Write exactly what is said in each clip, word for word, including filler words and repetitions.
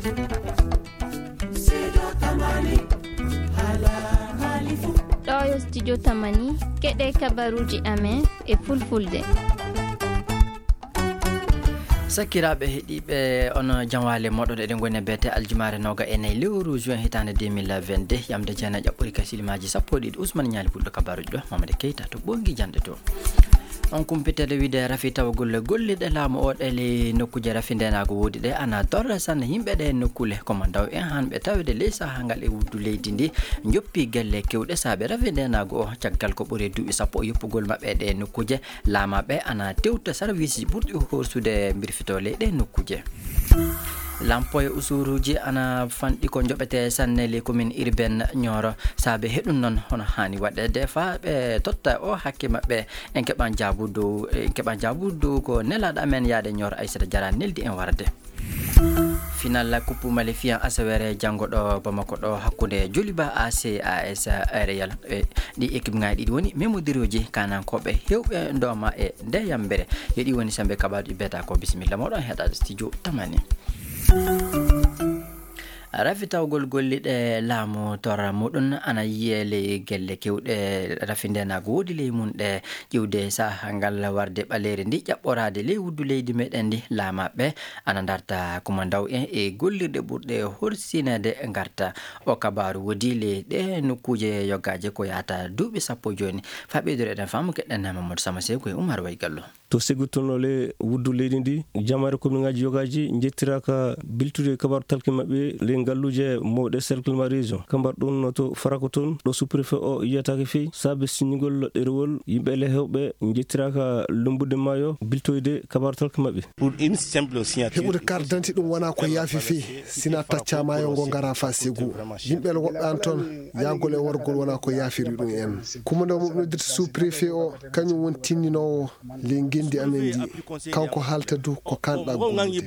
Ɗo yo studio Tamani, keɗe kabaruuji amen e fulfulde. Sakiraaɓe heɗiiɓe, on janwaale moɗon, eɗen ngoni e beete aljumaare nooga e nayi lewru juin hitaande deux mille vingt-deux, yamde jeenayi ɓuri kasilimaaji sappo e ɗiɗi. Ousmane Ñaali Pulɗo, kabaruuji ɗo, Mamadi Keita to Ɓoŋngi Jande to. On kumpitede wiide rafi tawgol golliɗe laamu o ɗe ley nokkuuje rafi ndeenaagu woodi ɗe ana torra sanne yimɓe ɗe nokkuule. Ko ma ndaw en hanɓe tawede ley sahaa ngal e wuddu leydi ndi njoppi gelle kewɗe saabe rafi ndeenaagu o. Caggal ko ɓuri duuɓi sappo yoppugol maɓɓe ɗe nokkuuje, laamaaɓe ana tewta sarwiisji ɓurɗi horsude mbirfito ley ɗe nokkuuje. Lampo e usuruuji ana fanɗi ko njoɓete sanne ley commune urbaine Nioro. Saabe heɗum noon hono haani waɗede faa ɓe totta o hakke maɓɓe. En keɓan jaabu dow, en keɓan jaabu dow ko nelaaɗo amen yaade Nioro, Aissata Diarra neldi en warde. Final Coupe Malifian asawere janngo ɗo Bamako ɗo hakkunde Joliba A C A S Real. E ɗi équipe ŋaaji ɗiɗi woni memodirooji kanankooɓe heewɓe ndooma e nde yambere. Yo ɗi woni sembe kabaaji beta ko bisimilla moɗon heɗaade studio Tamani. Rafitawgol golliɗe laamu torra muɗum ana yiye ley gelle kewɗe rafi ndeenaagu woodi ley mum ɗe ƴiwde sahaa ngal warde ɓaleeri ndi ƴaɓɓoraade ley wuddu leydi meɗen ndi. Laamaaɓe ana ndarta kumandaw en e gollirɗe ɓurɗe horsineede ngarta. O kabaaru woodi ley ɗe nokkuuje yogaaje ko yahata duuɓi sappo jooni. Faa ɓeydude eɗen faamu keɗɗen Mamadou Sama Seeku e Umar Waygallo. To seggutonole wuddu leydi ndi, jamaare kominŋaaji yogaaji njettiraaka biltude kabaaru talki maɓɓe ley ngalluuje mawɗe cercle ma région. Kambar ɗum no to Farako toon, ɗo sous-préfet o yiyataake fey, saabe siññugol ɗerewol yimɓe le heewɓe njettiraaka lumbude maayo biltoyde kabaaru talki maɓɓe. Pour une simple signature. Heɓude carte d'identité ɗum wonaa ko yaafi fey, sina taccaa maayo ngo ngara faa segu. Yimɓe le woɓɓe an toon, yahgol e wargol wonaa ko yaafiri ɗum en. Kumandaw mo noddirta sous-préfet o, kañum woni tinndinoowo ley ngenndi amen ndi. Kanko haalta du ko kanɗa gollude.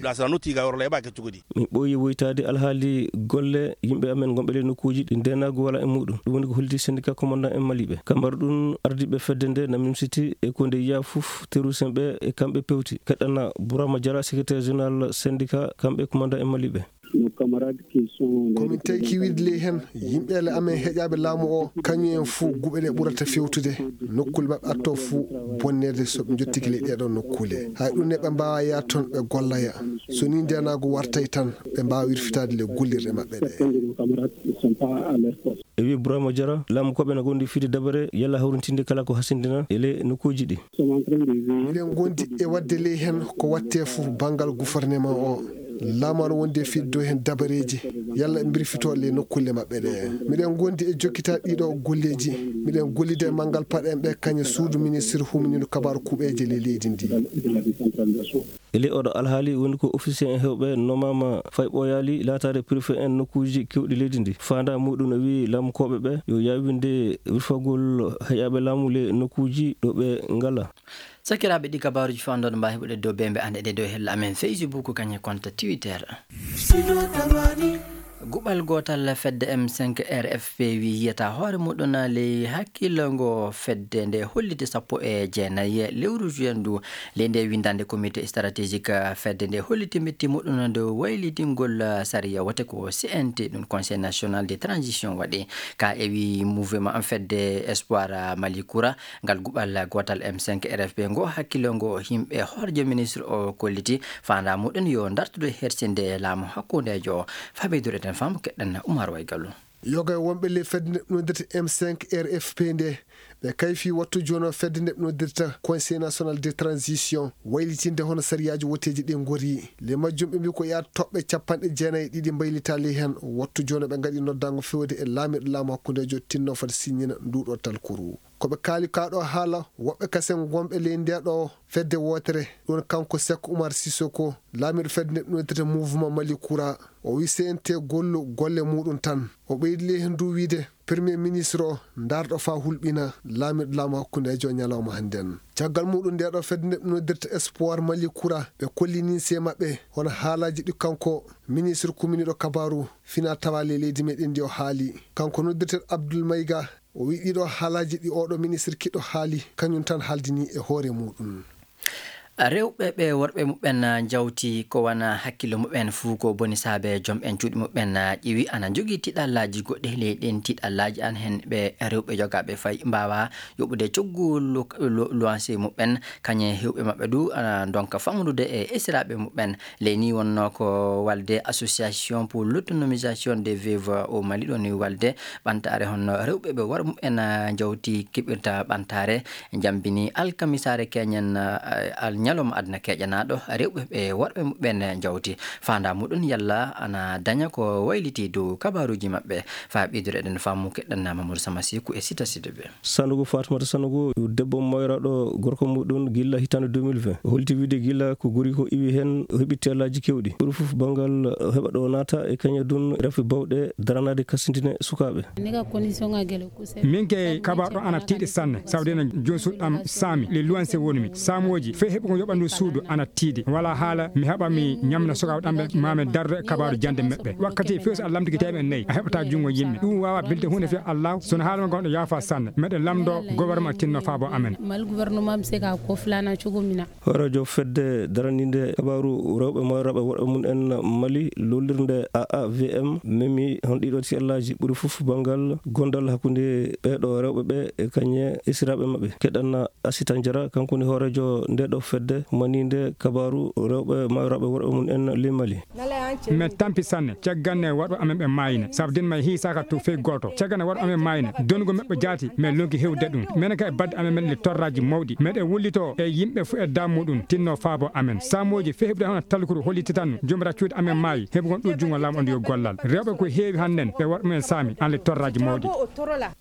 Min ɓooyi woytaade alhaali golle yimɓe amen gonɓe ley nokkuuji ɗi ndeenaagu walaa e muuɗum. Ɗum woni ko holdi syndicat commandant en maliiɓe. Kambar ɗum ardiiɓe fedde nde na mimsiti e ko nde yiya fof terroriste en ɓe e kamɓe pewti. Keɗɗana Bourama Diarra, secrétaire général syndicat, kamɓe commandant en maliiɓe. Nos camarades qui sont les Komin tawi kiwiiɗe ley heen, yimɓe le amen heƴaaɓe laamu o, kañum en fuu guɓe ɗe ɓurata fewtude. Nokkuule maɓɓe arto fuu bonneede so ɓe njottike ley ɗee ɗoo nokkuule. Hay ɗum ne ɓe mbaawa yaade toon ɓe golloya. So nii ndeenaagu wartay tan, ɓe mbaawa wirfitaade le gollirɗe maɓɓe ɗe. Certains de nos camarades ne sont pas à leur poste. E wiye Bourama Diarra, laamu koɓe na ngondi fiide dabare yalla hawrintinde kala ko hasindina e le nokkuuji ɗi. Miɗen ngondi e waɗde ley heen ko waɗte fof banngal gouvernement o. Laamu ana wondi e fiddo heen dabareeji, yalla ɓe mbirfito le nokkuule maɓɓe ɗe. Miɗen ngondi e jokkita ɗiɗo golleeji. Miɗen gollida e manngal paɗen ɓe kañe suudu ministre humniiɗo kabaaru kuuɓeeje ley leydi ndi. E ley oɗo alhaali woni ko officier en heewɓe nomaama fay ɓooyaali laataade préfet en nokkuuji kewɗi leydi ndi. Faandaa muuɗum no wiyi laamukooɓe ɓe yo yaawinde wirfagol heƴaaɓe laamu ley nokkuuji ɗo ɓe ngala. Sakiraaɓe, ɗi kabaaruuji fof anndon mbaawi heɓude dow bembe an eɗen dow hella amen Facebook kañe compte Twitter. Guɓal gootal fedde M cinq R F P wi yiyata hoore muɗum ley hakkillo ngo fedde nde holliti sappo e jeenayi lewru juin ndu. Ley nde winndande comité stratégique fedde nde holliti metti muɗum nde waylidingol sariya wote ko C N T, ɗum Conseil National de Transition waɗi. Ka e wi mouvement fedde Espoir Mali Kura, ngal guɓal gootal M cinq R F P ngo hakkillo ngo yimɓe horjo ministre o kolliti faandaa muɗum yo dartude hersinde laamu hakkundeejo. Faa ɓeydude eɗen faamu keɗɗen Umar Waygallo. Yoga e wonɓe ley fedde nde noddirta M cinq R F P nde, ɓe kayfi wattu jono fedde nde noddirta Conseil National de Transition, waylitinde hono sariyaaji woteeji ɗi ngori. Ley majjum ɓe mbi ko yaata toɓɓe capanɗe jeenayi e ɗiɗi mbaylita ley heen. Wattu jono ɓe ngaɗi noddango fewde e laamirɗo laamu hakkundeejo tinno foti siññina nduɗo talkuru. Ko ɓe kaali kaa ɗo haala, woɓɓe kasen wonɓe ley nde ɗo fedde wootere, ɗum kanko Seck Oumar Sissoko, laamiiɗo fedde nde ɗum noddirta Mouvement Mali Kura. O wi C N T gollu golle muɗum tan. O ɓeydi ley heen du wiide, Premier ministre o, ndaarɗo faa hulɓina laamiiɗo laamu hakkundeejo ñalawma hannden. Caggal muɗum nde ɗo fedde nde ɗum noddirta Espoir Mali Kura, ɓe kollini se maɓɓe hono haalaaji ɗi kanko ministre kuminiiɗo kabaaru fina tawa ley leydi meɗen ndi o haali. Kanko noddirta Abdoul Maïga, o wi ɗiɗo haalaaji ɗi oɗo ministre kiɗɗo haali, kañum tan haaldini e hoore muɗum. Rewɓe ɓe worɓe muɓɓen njawti ko wona hakkille muɓɓen fuu ko boni saabe jom en cuuɗi muɓɓen ƴiwi ana njogii tiɗallaaji goɗɗi ley ɗin tiɗallaaji an heen ɓe rewɓe jogaaɓe fay mbaawa yoɓude coggu lu- lu- luwanse muɓɓen kañe hewɓe maɓɓe du ana ndonka famɗude e esiraaɓe muɓɓen. Ley ni wonnoo ko walde Association pour l'autonomisation des veuves au Mali ɗo ni walde ɓantaare honno rewɓe ɓe worɓe muɓɓen njawti keɓirta ɓantaare. Jambini alkamisaare keñen ñalawma aduna keƴanaaɗo rewɓe ɓe worɓe muɓɓen njawti faandaa muɗum yalla ana daña ko wayliti dow kabaruuji maɓɓe. Faa ɓeydude eɗen faamu keɗɗan Mamadou Sama Seku e Sita Sidibé. Sanogo Fatmata Sanogo debbo moyraɗo gorko muɗum gilla hitande deux mille vingt holti wiide gilla ko gori ko iwi heen o heɓi tellaaji kewɗi ɓuri fof banngal heɓa ɗo naata e kañadun rafi bawɗe daranaade kasintine sukaaɓe. Min ke kabaɗo ana tiiɗi sanne sabu dena joni suɗɗam saami le luwanse wonmi saamooji fey heɓugo yoɓandu suudu ana tiiɗi wala haala mi haɓa mi ñamna sukaaɓe ɗamɓe mamin dardo e kabaru jande meɓɓe wakkati few so a lamtiki temen nayi a heɓata junngo yimɓe ɗum wawa bilde hunde fe allahu sono haalama gonɗo yaafa sanne meɗen lamdo gouvernement tinno faabo amen. Mal gouvernement mi seka ko flana cogomina. Horeejo fedde daraninde kabaaru rewɓe moyraaɓe worɓe mum en Mali lollirnde A A V M memi hon ɗiɗo tellaaji ɓuri fof banngal gondal hakkunde ɓeeɗo rewɓe ɓe e kañe esiraaɓe maɓɓe keɗanna Asita Njara kanko woni hooreejo nde ɗo fedde maninde kabaaru rewɓe mayraaɓe worɓe mum en ley Mali. Min tampi sanne cagganne waɗo amen ɓe maayine sabu din may hiisaaka to fey gooto cagganne waɗo amen maayine donnugo meɓɓe jaati min lonki hewde ɗum minen ka e badde amen men le torraji mawɗi meɗen wullito e yimɓe fo e dammuɗum tinno faabo amen samuuji fey heɓude hono talkuru hollititanno jomira cuuɗi amen maayi heɓugol ɗo junngo laamu on yo gollal rewɓe ko heewi hannden ɓe waɗ mumen saami an le torraji mawɗi.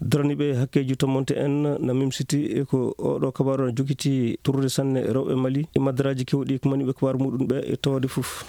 Daraniiɓe hakkeeji tomonte en na mimsiti e ko oɗo kabaaru na jokiti turrude sanne rewɓe Mali e maddaraaji kewɗi ko maniiɓe kabaaru muɗum ɓe e tawde fof.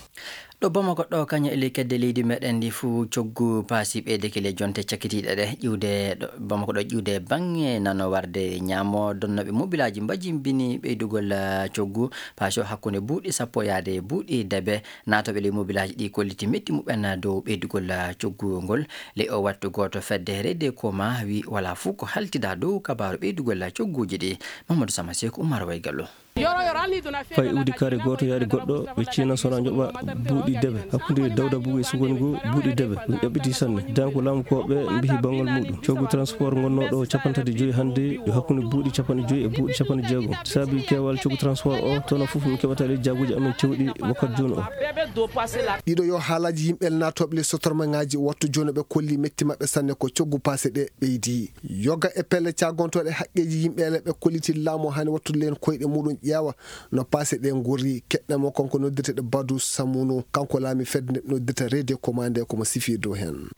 Ɗo Bamako ɗo kañum e ley kedde leydi meɗen ndi fuu coggu paasi ɓeydeke ley jonte cakkitiiɗe ɗe ƴiwde ɗo Bamako ɗo ƴiwde baŋŋe nano warde ñaamo donnooɓe mobilaaji mbajimbini ɓeydugol coggu paasi o hakkunde buuɗi sappo yaade buuɗi debe naatooɓe ley mobilaaji ɗi kolliti metti muɓɓen dow ɓeydugol coggu ngol. Ley o wattu gooto fedde rede koma wi wala fuu ko haltida dow kabaaru ɓeydugol cogguuji ɗi. Mamadou Sama Seku Umar Waygallo. Fay iwdi kaare gooto yaari goɗɗo ɓe ciina sona njoɓa buuɗi debe hakkunde dawda bugu e sugoni ngu buuɗi debe ɗum ƴaɓɓiti sanne dan ko laamu ko ɓe mbihi bangal muɗum coggu transport gonnoɗo capanɗe tati joyi hannde yo hakkunde buuɗi capanɗe joyi e buuɗi capanɗe jeegom saabi keewal coggu transport o tono fof min keɓata ley jaaguji amen cewɗi wakkati jooni o. Ɗiɗo yo haalaji yimɓe naatooɓe ley sotormaŋaaji wattu jooni ɓe kolli metti maɓɓe sanne ko coggu paase ɗe ɓeydi. Yoga e pelle caagontooɗe haqqeeji yimɓe ele ɓe kolliti laamu hani wattude leen koyɗe muɗum ƴeewa no paase ɗe ngorri keɗɗe mo kanko noddirteɗo Badu Samunu kanko laami fedde nde noddirta rede commande komo sifi dow heen.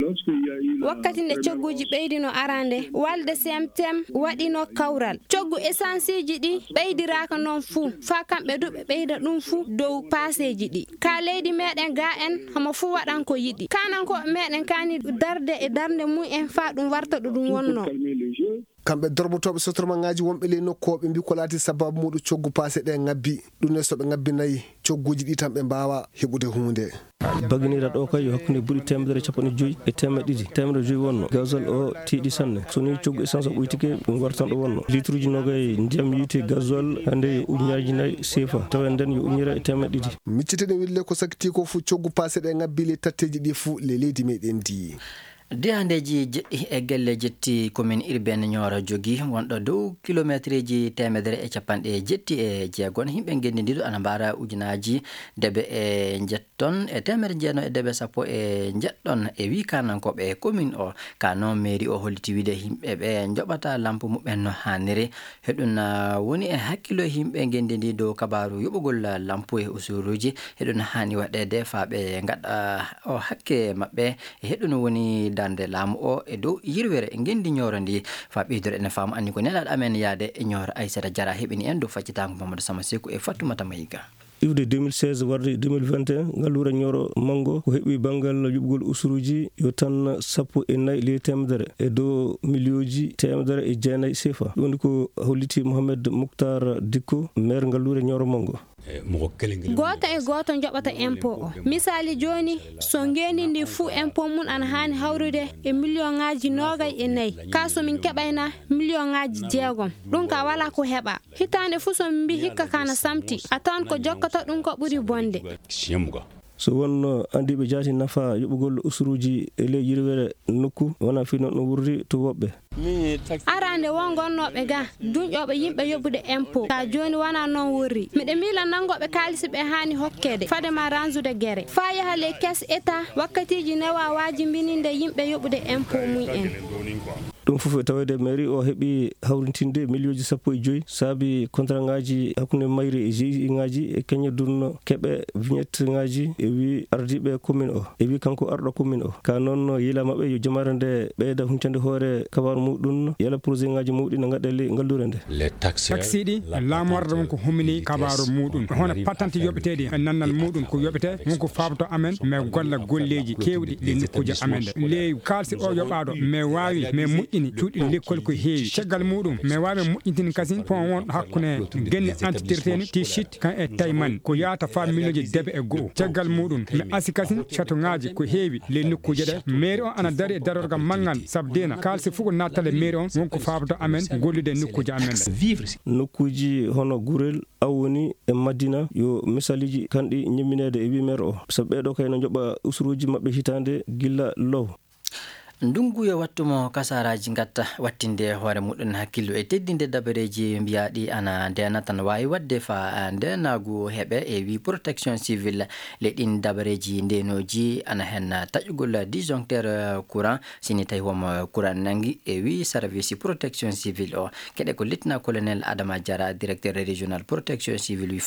Wakkati nde cogguuji ɓeydino arande walde C M T M waɗino kawral coggu esansiiji ɗi ɓeydiraaka noon fuu faa kamɓe du ɓe ɓeyda ɗum fuu dow paaseeji ɗi ka leydi meɗen ga en homo fuu waɗan ko yiɗi kanankooɓe meɗen kani darde e darnde mum en faa ɗum warta ɗo ɗum wonno. Kamɓe dorbotooɓe sotormaŋaaji wonɓe ley nokku o ɓe mbi ko laati sababu muɗum coggu paase ɗe ŋabbi ɗum ne so ɓe ŋabbinayi cogguuji ɗi tan ɓe mbaawa heɓude huunde. Baginira ɗo kay yo hakkunde buuɗi teemedere capanɗe joyi e teemedde ɗiɗi teemedere joyi wonno gazol o tiiɗi sanne so ni coggu essence o ɓoytike ɗum wartan ɗo wonno litruji nogay ndiyam yiite gazol hannde yo ujunaaji nayi sefa tawa nden yo ujunere e teemedde ɗiɗi. Micciteɗen wille ko sakiti ko fuu coggu paase ɗe ŋabbi ley tatteeji ɗi fuu ley leydi meɗen ndi. Diyandeeji jeɗɗi e gelle jetti commune urbaine Nioro jogi wonɗo dow kilomeetreeji teemedere e capanɗe jetti e jeegon yimɓe ngenndi ndiɗo ana mbaara ujunaaji debe e njetton e teemedere jeenayi e debe sappo e njeɗɗon e wii kanankooɓe commune o ka noon mairie o holliti wiide yimɓe ɓe njoɓata lampu muɓɓen no haaniri. Heɗum woni e hakkillo yimɓe ngenndi ndi dow kabaaru yoɓugol lampu e usuruuji heɗum haani waɗeede faa ɓe ngaɗa o hakke maɓɓe. E heɗum woni darnde laamu o e dow yirwere ngenndi Nioro ndi faa ɓeydore ene faamu anni ko nelaaɗo amen yaade e Nioro Aysata Jara heɓini en dow faccitaango Mamadou Sama Seku e Fattumata Mayiga. Iwde deux mille seize warde deux mille vingt et un ngalluure Nioro Manngo ko heɓi banngal yuɓgol usuruuji yo tan sappo e nayi ley teemedere e dow miliyooji teemedere e jeenayi sefa ɗum woni ko holliti Mohamed Mouhtar Dicko maire ngalluure Nioro Manngo. Gooto e gooto joɓata impôt o. Misaali jooni, so ngeenndi ndi fuu impôt mum ana haani hawrude e miliyoŋaaji noogay e nayi, ka so min keɓayna miliyoŋaaji jeegom, ɗum ka walaa ko heɓaa. Hitaande fuu so min mbii hikka ka na samti, a tawan ko jokkata ɗum ko ɓuri bonde. So wonno anndiiɓe jaati nafa yoɓugol usuruuji e ley yirwere nokku, wonaa fii noon ɗum wurri to woɓɓe. Arande woo gonnooɓe ga duñƴooɓe yimɓe yoɓude impôt, ka jooni wonaa noon wurri. Miɗo miila nanngooɓe kaalisi ɓe haani hokkeede fade ma ransude gere faa yaha ley kees eta wakkatiiji newa waajimbininde yimɓe yoɓude impôt mum en. Ɗum fof e taweede mairie o heɓi hawrintinde miliyonji sappo e joyi saabi kontraŋaaji hakkunde mairie e G I ŋaaji e keñe dunno keɓe vignette ŋaaji e wii ardiiɓe commune o e wii kanko arɗo commune o ka noon yiila maɓɓe yo jamaare nde ɓeyda huñtande hoore kabaaru muɗum yala projet ŋaaji muɗi no ngaɗa ley ngallure nde. Taxe ɗi laamu arɗo won ko humini kabaaru muɗum hono patante yoɓeteeɗi e nannal muɗum ko yoɓete won ko faabato amen mais golla golleeji keewɗi ɗi nokkuuji amen ɗe ley kaalsi o yoɓaaɗo mais waawi mais moƴƴini cuuɗi lekkol ko heewi caggal muɗum mais waawi moƴƴintini kasin pon won hakkunde genne antitirteni ti sit kan e tayman ko yaata faa miliyonji debe e go'o caggal muɗum mi asi kasin catoŋaaji ko heewi ley nokkuuje ɗe mairie on ana dari e darorgal manngal sabu dena kaalsi fof ko nattale mairie on won ko faabato amen gollude e nokkuuje amen ɗe. Nokkuuji hono gurel aw woni e madina yo misaliiji kanɗi ñemmineede e wii maire o sabu ɓeeɗo kay no njoɓa usuruuji maɓɓe hitaande gilla low. Ndunngu yo wattu mo kasaaraaji ngatta wattinde hoore muɗum hakkillu e teddinde dabareeji mbiyaaɗi ana ndeena tan waawi waɗde faa ndeenaagu heɓe e wii protection civile le ɗin dabareeji ndeenooji ana heen taƴugol disjoncteur courant sini tawi homo courant nangi e wii service protection civile o keɗe ko lieutenant colonel Adama Diarra directeur régional protection civile wii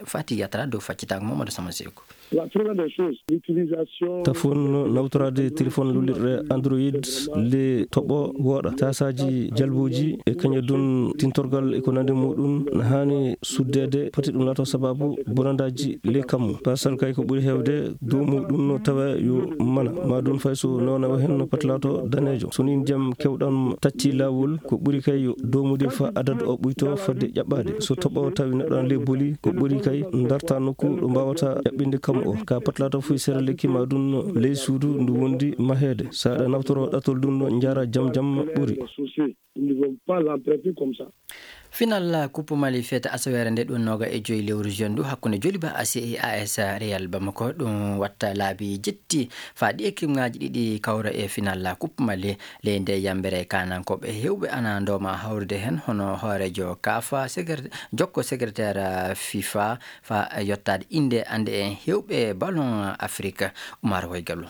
Fati Yatra dow faccitaango Mamadou Sama Seeku. La première des choses, l'utilisation. Tafon nawtoraade téléphone lullirɗe android le toɓo wooɗa tasaaji jalbuuji e kañadun tintorgal e ko nande muɗum na haani suddeede poti ɗum laato sababu bonandaaji le kammu pasal kay ko ɓuri heewde dow muɗum no tawa yo mana ma ɗum fay so newnawa hen no poti laato daneejo so ni ndiyam kewɗam tacci laawol ko ɓuri kay yo doomude fa adadu o ɓuyto fodde ƴaɓɓaade so toɓo tawi neɗɗo an le boli ko ɓuri kay darta nokku ɗo mbawata ƴaɓɓinde kam o ka patlata fof sera lekki ma ɗum ley suudu ndu wondi maheede saɗa nawtoro ɗatol ɗum no jara jam jam ɓuri. Nous ne devons pas l'entretenir comme ça. Final coupe mali fete asawere nde ɗum noga e joyi lewru juin ndu hakkunde joliba ac e as real bamako ɗum watta laabi jetti fa ɗi ekimŋaji ɗiɗi kawra e final coupe mali ley nde yambere kanankoɓe hewɓe ana ndoma hawrude hen hono hoorejo kafa jokko secrétaire fifa fa yottade inde ande en hewɓe ballon afrique. Umar waygallo.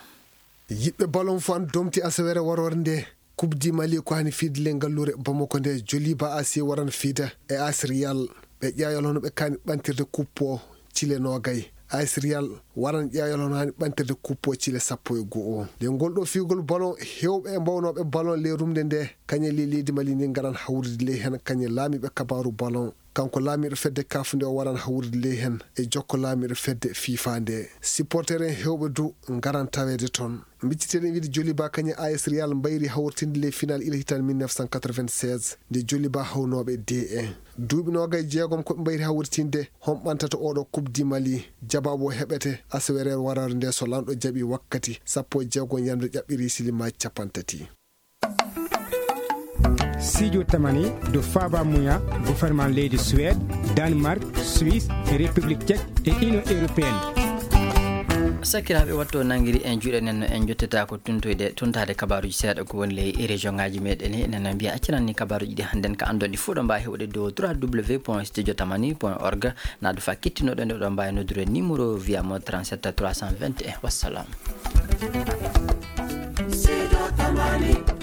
Yiɓɓe ballon fof an domti asawere warore nde. Coupe du mali ko hani fiide le ngallure bamako nde joliba ac waran fiida e as real ɓe ƴeewal hono ɓe kani ɓantirde coupe o cile nogay as real waran ƴeewal hono hani ɓantirde coupe o cile sappo e go'o nde ngol ɗo fiigol ballon hewɓe e mbawnoɓe ballon le rumde nde kañe le leydi mali ndi ngaran hawrude ley hen kañe laamiɓe kabaru ballon. Kanko laamiɗo fedde kaf nde o waran hawrude ley hen e jokko laamiɗo fedde fifa nde supporter en hewɓe du ngaran taweede toon. Mbicciteɗen wiide joliba kañe as real mbayri hawritinde ley final ila hitan mille neuf cent quatre-vingt-seize nde joliba hawnoɓe de e duuɓi noga e jeegom koɓe mbayri hawritinde hon ɓantata oɗo coupe du mali. Jababu o heɓete asawerer warare nde so lanɗo jaɓi wakkati sappo e jeegom yande ƴaɓɓiri silimaji capantati. Sijo tamani do faba muya gouvernement leydi suède, danemark, suisse e république tchèque e union européenne. Sakiraaɓe watto nangiri en juuɗe nen en jottata ko tuntoyde tuntade kabaruji seeɗa ko woni ley région ngaji meɗen enen mbiya acciranni kabaruji ɗi hannden ka andon ɗi fuɗo mbawi heɓude dow trois w point studio tamani point org. Naadu fa kittinoɗo nde ɗo mbawi noddude numéro via mo trente-sept trois cent vingt et un wassalam. Sijo tamani.